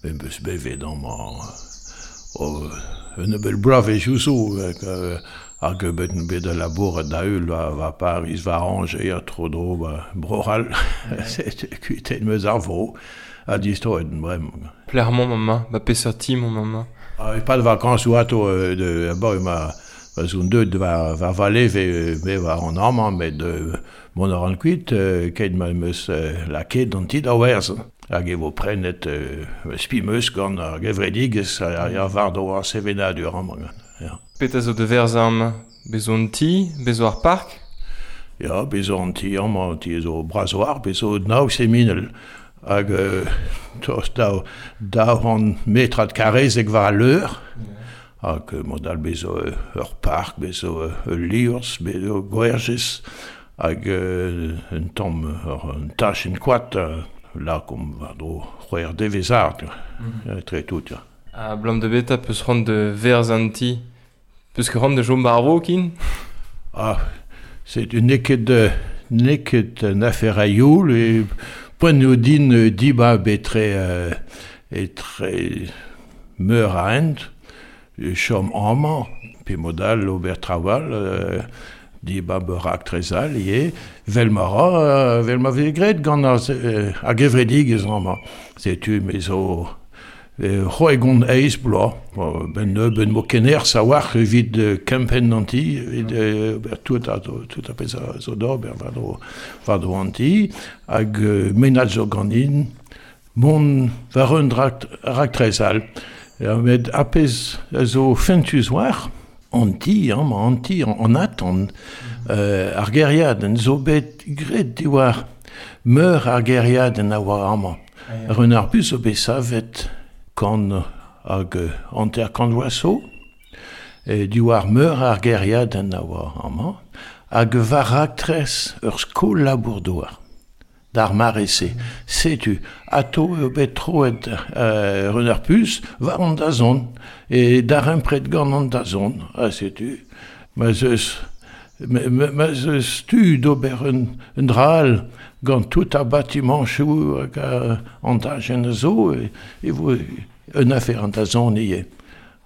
Me 'm eus bevet amañ un nebeud bloavezhioù zo hag bet on bet da labourat da-heul war Pariz, war Angers ha tro-dro ba Bro-C'hall. Setu kuitaet 'm eus ar vro ha distroet on bremañ. Pelec'h emaomp amañ? Ba peseurt ti emaomp amañ? E-pad vakañsoù atao abaoe ma 'z on deuet war va leve me war an amañ met mont a ran kuit keit ma 'm eus lakaet an ti da werzhañ. Hag e vo prenet spi 'm eus gant ar gevredigezh a ya war-dro ar sevenadur amañ. Ya. Petra zo da verzañ amañ? Bez zo an ti? Bez zo ar park? Ya, bez zo an ti amañ, an ti zo bras war, bez zo nav seminel. Hag tost 200 metrad karrezek war al leur. Hag mod all bez zo ur park, bez zo ul liorzh, bez zo gwerjez. Hag un tamm un tachenn koad lakaomp war-dro c'hwec'h devezh-art etre tout. Ya. Abalamour da beta 'peus c'hoant da verzañ an ti? 'Peus ket c'hoant da chom war ar kin? Ah, setu n'eo ket n'eo ket un afer a youl e poent eo din dibab etre etre meur a hent. Chom amañ, pe mod all ober traoù all, dibab ur raktres all ivez, 'vel ma ra, 'vel ma vez graet gant ar gevredigezh amañ. Setu me zo c'hwegont eizh bloaz, 'benn nebeut 'mo ket nerzh a-walc'h evit kempenn an ti, evit ober tout ar tout ar pezh a zo d'ober war-dro war-dro an ti, hag mennad zo ganin mont war un raktres all. Met ar pezh a zo fentus war an ti amañ, an ti, an atant, ar gêriadenn zo bet graet diwar meur ar gêriadenn a oa amañ. Run ar Bus zo bet savet 150 vloaz zo, diwar meur ar gêriadenn a oa amañ, hag war raktres ur skol labour-douar. D'ar mare-se, setu, atao eo bet troet Run ar Puz war an dazont, e darempred gant an dazont, ha setu ma 'z eus ma 'z eus tu d'ober un dra all gant tout ar batimañchoù hag an dachenn a zo, e vo un afer an dazont ivez.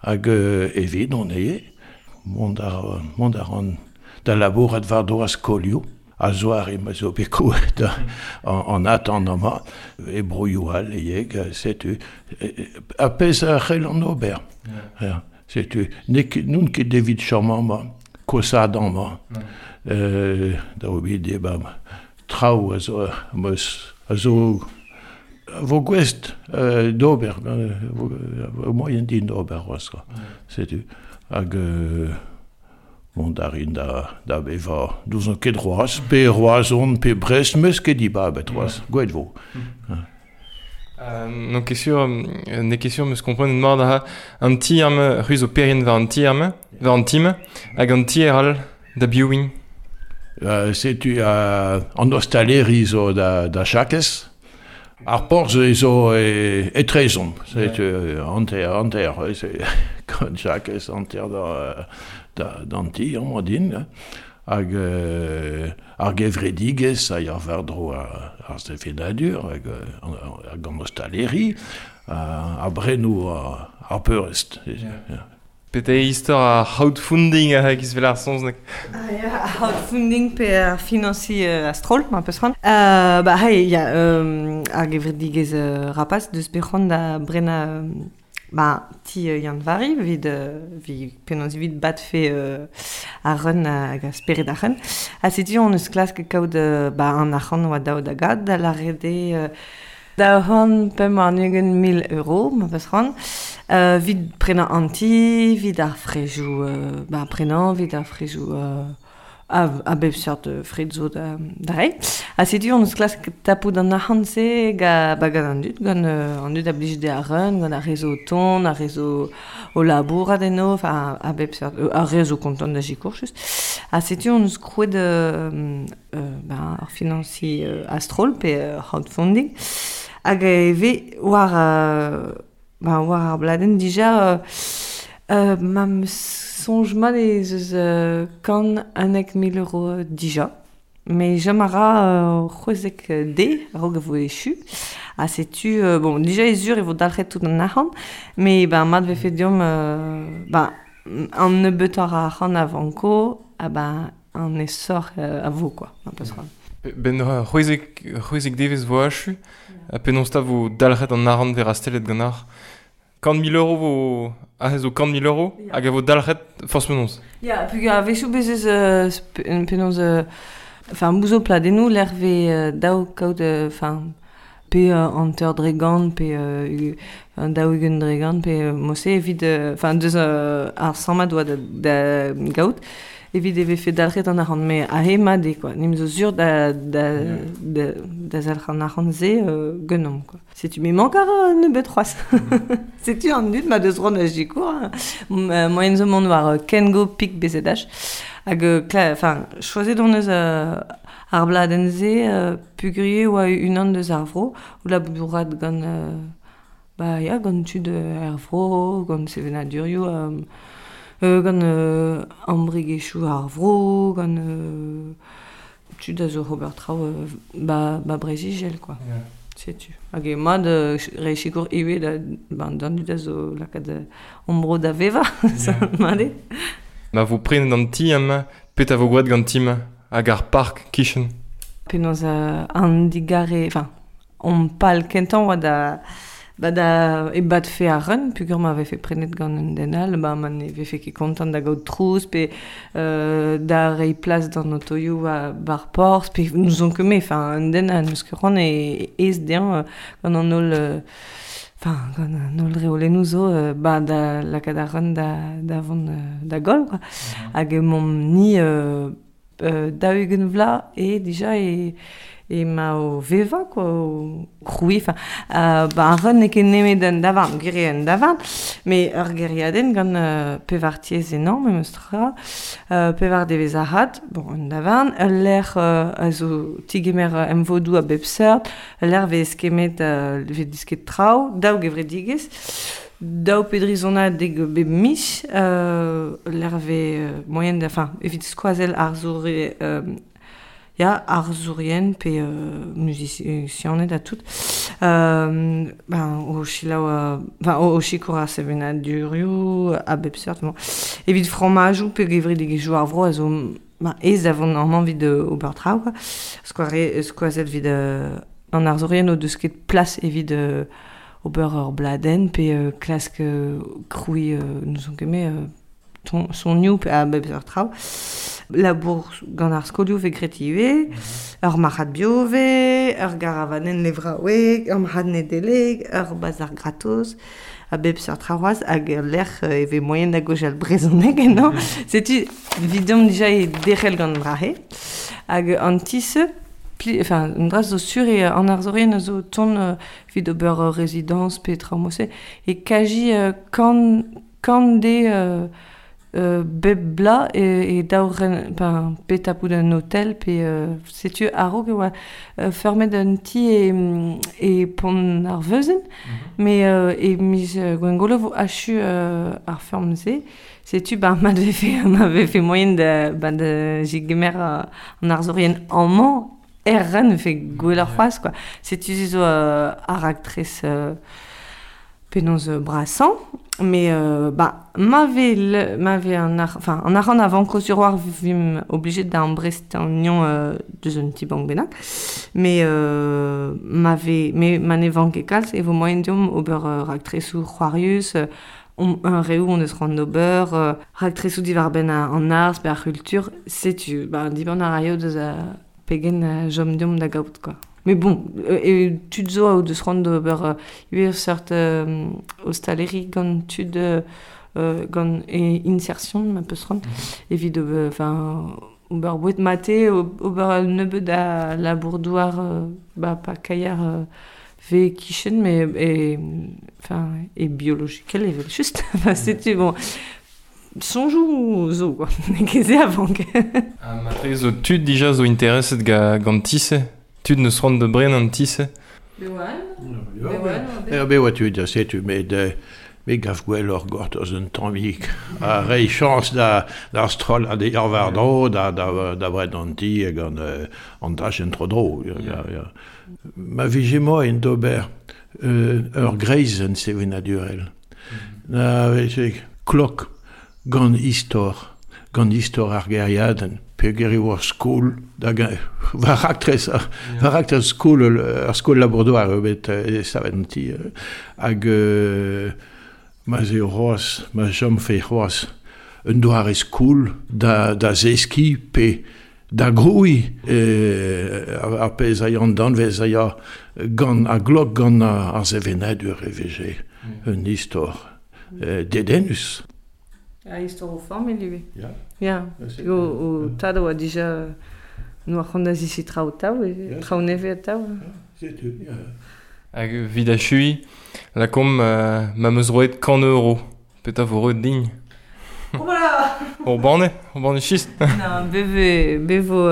Hag evidon ivez, mont a ran da labourat war-dro ar skolioù. A-zoare ma zo bet krouet an atant amañ e broioù all ivez, setu ar pezh a c'hellan ober. Ya. Setu n'on ket evit chom amañ, kosaat amañ. Da ober debab traoù a zo a zo a vo gouest d'ober, vo moaien din d'ober c'hoazh. Setu. Hag Mont a rin da bevañ n'ouzon ket c'hoazh, pe Roazhon pe Brest, 'meus ket dibabet c'hoazh, gwelet 'vo. N'on ket sur, n'eo ket sur 'meus komprenet mat aze. An ti-arm, c'hwi zo perc'henn war an ti-arm, war an ti-mañ, hag an tier all da biv int? Setu an ostaleri zo da Jakez. Ar porzh zo etrezomp, setu hanter-hanter, gant Jakez hanter d'an ti amañ din. Hag ar gevredigezh a ya war-dro ar sevenadur hag an ostaleri, ar brennoù ar peurrest. Pete istor ar crowdfunding a giz vel ar saozneg? Ah ya, ar crowdfunding pe ar finañsiñ a-stroll, ma peus c'hoant. Ba hey, ya, ar gevredigezh Rapas deus bet c'hoant da brenañ ba ti Yann-Vari evit evit penaos evit batfe ar run hag ar spered ar run. Ha setu hon eus klask kaout ba an arc'hant oa dav da gad, da lâret eo 225 000 euro, ma peus c'hoant, evit prenañ an ti, evit ar frejoù ba prenañ, evit ar frejoù a bep seurt fred zo da reiñ. Ha setu hon eus klask tapout an arc'hant-se ba gant an dud, gant an dud a blij dezhe ar reun, gant ar re zo o tont, ar re zo o labourat eno, enfin a bep seurt, ar re zo kontant da sikour just. Ha setu hon eus krouet ben, ar finañsiñ a-stroll pe crowdfunding. Hag e vez war, ben, war ar bladenn dija ma 'm eus soñj mat ez eus 111 000 euro dija. Me chom a ra 16 de a-raok a vo echu. Ha setu, bon, dija eo sur e vo dalc'het tout an arc'hant, met ben mat vefe deomp ben an nebeutoc'h a arc'hant a vanko, ha ben an aesoc'h a vo quoi, ma peus c'hoant. Ben 16 devezh vo achu, ha penaos 'ta vo dalc'het an arc'hant 'vez rastellet ganeoc'h? 100 000 euro vo... Aze zo 100 000 euro, hag a vo dalc'het forzh penaos. Ya, peogwir a-wechoù bez eus penaos... Enfin, bout zo pladennoù lec'h 'vez dav kaout enfin, pe 50% pe 20% pe mod-se evit enfin deus ar sammad oa da gaout evit e vefe dalc'het an arc'hant. Met aze mat eo quoi. Nim zo sur da da da da zalc'h an arc'hant-se ganeomp quoi. Setu me mank a ra nebeut c'hoazh. Setu an dud ma deus c'hoant da sikour. Moaien zo mont war Kengo Pik BZH. Hag enfin, choazet hon eus ar bladenn-se peogwir e oa unan deus ar vro, o labourat gant ba ya, gant tud er vro, gant sevenadurioù, gant embregerezhioù ar vro, gant tud a zo ober traoù ba, ba Breizh-Izel quoi. Yeah. Setu. Hag eo mat reiñ sikour ivez da, ben, d'an dud a zo lakaat hon bro da vevañ, yeah. mat eo. Ma vo prenet an ti amañ, petra vo gwraet gant ti-mañ hag ar park kichen? Penaos an digare, enfin, hon pal kentañ oa da ba da ebadfe ar run peogwir ma vefe prenet gant un den all, ba ma ne vefe ket kontant da gaout trouz pe da reiñ plas d'an otoioù ba'r porzh pe n'ouzon ket me, enfin un den ha n'eus ket c'hoant e aes dezhañ gant an holl enfin gant an holl reolennoù zo ba da lakaat ar run da da vont da goll quoi. Hag emaomp-ni 40 vloaz eo dija e ema o vevañ quoi, o krouiñ, enfin ba ar run n'eo ket nemet un davarn, gwir eo un davarn, met ur gêriadenn gant pevar tiez ennañ memes tra, pevar devezh arat, bon un davarn, ul lec'h a zo tigemer emvodoù a bep seurt, ul lec'h 'vez kemmet 'vez desket traoù, daou gevredigezh. Daou pe dri sonadeg bep miz, lec'h 'vez moaien da, enfin, evit skoazell arzour ya, arzourien pe muzisianed ha tout. Ben, o selaou, enfin, o sikour ar sevenadurioù a bep seurt. Bon. Evit fromajoù pe gevredigezhioù ar vro a zo ben, aes da vont amañ evit ober traoù, quoi. Skoazell evit an arzourien o deus ket plas evit ober ur bladenn pe klask krouiñ n'ouzon ket me sonioù pe a bep seurt traoù. Labour gant ar skolioù 'vez graet ivez, ur marc'had bio 'vez, ur garavanenn levraoueg, ur marc'had Nedeleg, ur bazar gratos, a bep seurt traoù c'hoazh hag ul lec'h e vez moaien da gaozeal brezhoneg ennañ. Setu 'vidomp dija e derc'hel gant an dra-se. Hag an ti-se, enfin, un dra zo sur eo an arzourien a zo o tont evit ober ur rezidañs pe traoù mod-se e kaji kant de bep bloaz e daou ren ben, pe tapout un otel pe setu a-raok e oa feurmet un ti e Pont ar Veuzenn met e miz Gwengolo 'vo achu ar feurm-se. Setu ben ma vefe ma vefe moaien da ben da zegemer an arzourien amañ er ren 'vefe gwelloc'h c'hoazh quoi. Setu se zo ar raktres penaos brasañ met bah ma vez ma vez an ar enfin an arc'hant a vanko sur war vimp oblijet da amprestañ anezhañ deus un ti-bank bennak met ma vez met ma ne vank ket kalz e vo moaien deomp ober raktresoù c'hoarius un reoù hon eus c'hoant d'ober raktresoù diwar-benn an arz pe ar c'hultur setu bah diban a raio deus pegen chom deomp da gaout quoi. Mais bon, tud zo o deus c'hoant d'ober ivez seurt ostaleri gant tud gant e insertion ma peus c'hoant evit enfin ober boued mate, ober un nebeud a labour-douar ba pa kaier 'vez e-kichen mais e enfin e biologikel evel-just. Enfin setu bon soñjoù zo quoi, n'eo ket se a vank. Ha matre zo tud dija zo intereset gant ti-se? Tud n'eus c'hoant da brenañ an ti-se? Ya, bet oa tud, setu, met Me gav gwelloc'h gortoz un tammig ha reiñ chañs da d'ar strollad e war-dro da da da bred an ti hag an an dachenn tro-dro. Ya, ya. Ma vije moaien d'ober ur greizenn sevenadurel. Na vije klok gant istor, gant istor ar gêriadenn, peogwir e oa skol da war raktres war raktres skol ar skol labour-douar eo bet savet an ti hag ma 'z eo c'hoazh, ma chomfe c'hoazh un doare skol da, da zeskiñ pe da grouiñ ar pezh a ya an danvez a ya gant a glok gant ar sevenadur e vije un istor dedennus. Ha istor o familh ivez. Ya. Ya. O, o tad a oa dija n'oa c'hoant da zeskiñ traoù atav, traoù nevez atav. Setu, ya. Hag evit achuiñ, lakaomp ma 'm eus roet 100 euro. Petra vo roet din? Oh voilà. Ur banne, ur banne chistr. Non, be be vo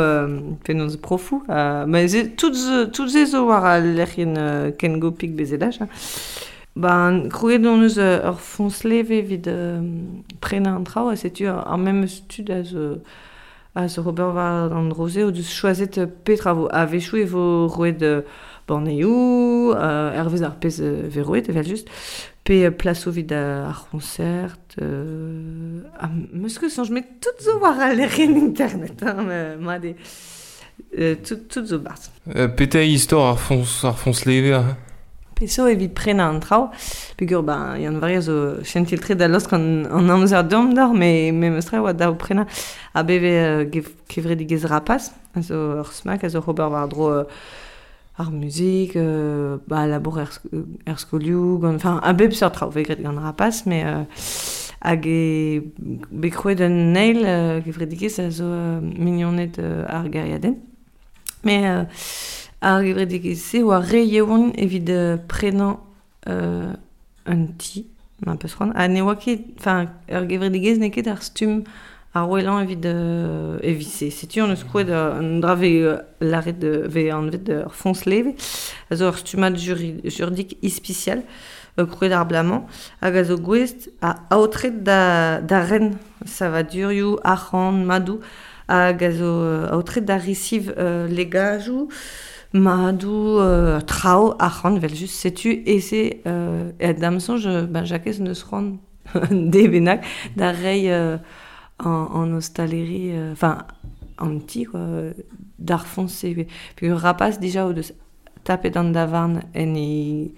penaos profoù. Ma ze tout zo tout se zo war al lec'hienn Kengopik BZH. Ben, krouet hon eus ur foñs leve evit prenañ an traoù ha setu ar memes tud a zo ober war an dro-se o deus choazet petra vo. A-wechoù e vo roet banneoù, hervez ar pezh vez roet evel-just, pe plasoù evit ar c'hoñsert. Ha 'meus ket soñj, met tout zo war al lec'hienn internet, hein, mat eo. Tout zo 'barzh. Petra eo istor ar foñs leve aze? Peseurt evit prenañ an traoù, peogwir ben Yann-Vari a zo chentil-tre da laosk an amzer deomp deoc'h, met memes tra e oa dav prenañ. Ha bet vez kevredigezh Rapas, a zo ur smak a zo oc'h ober war-dro ar muzik, ba labour er skolioù, gant enfin a bep seurt traoù vez graet gant Rapas, met hag e bet krouet un eil kevredigezh a zo mignoned ar gêriadenn. Met ar gevredigezh-se oa re yaouank evit prenañ un ti, ma peus c'hoant. Ha ne oa ket, enfin ur gevredigezh n'eo ket ar stumm ar wellañ evit evit se. Setu hon eus krouet un dra vez lâret vez anvet ur foñs leve, a zo ur stummad juridik ispisial krouet ar bloaz-mañ hag a zo gouest a aotret da ren savadurioù, arc'hant, madoù hag a zo aotret da resiv legajoù, madoù, traoù, arc'hant evel-just. Setu e-se da'm soñj ben Jakez neus c'hoant de bennak da reiñ an ostaleri, enfin an ti quoi, d'ar foñs-se. Peogwir Rapas dija o deus tapet an davarn en e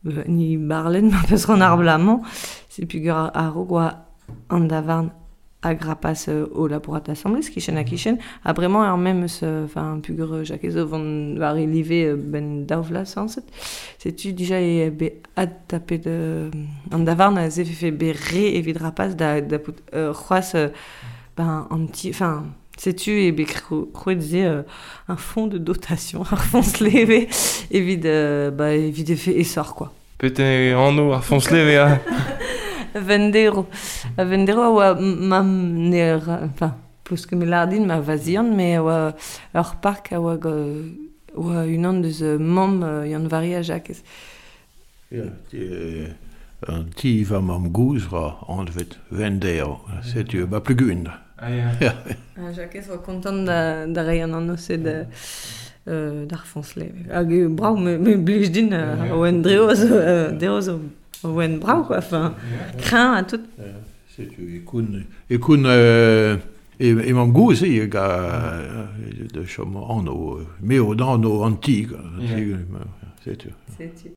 en e barlenn ma peus c'hoant ar bloaz-mañ. C'est peogwir a-raok oa an davarn hag Rapas o labourat asambles, kichen-ha-kichen. Ha bremañ ar memes, enfin peogwir Jakez zo vont war e live benn daou vloaz sañset. Setu dija eo bet adtapet an davarn a vefe bet re evit Rapas da dapout c'hoazh ben an ti, enfin setu eo bet krouet se un fonds de dotation, ar foñs leve evit ba evit efe aesoc'h quoi. Petra eo anv ar foñs leve aze? Vendero. Vendero a oa ma ne enfin peus ket me lâr din ma vazian, met a oa ur park a oa oa unan deus mamm Yann-Vari ha Jakez. Ya, an ti va mamm-gozh ra anvet Vendero. Setu ba Pluguen. Ah ya. Ha Jakez oa kontant da reiñ an anv-se da d'ar foñs leve. Hag eo brav, me blij din oen dreo zo deo zo oen brav quoi, enfin kreñv ha tout. Setu e koun e mamm-gozh eo hag da chom anv, me eo anv an ti, quoi. Setu. Setu.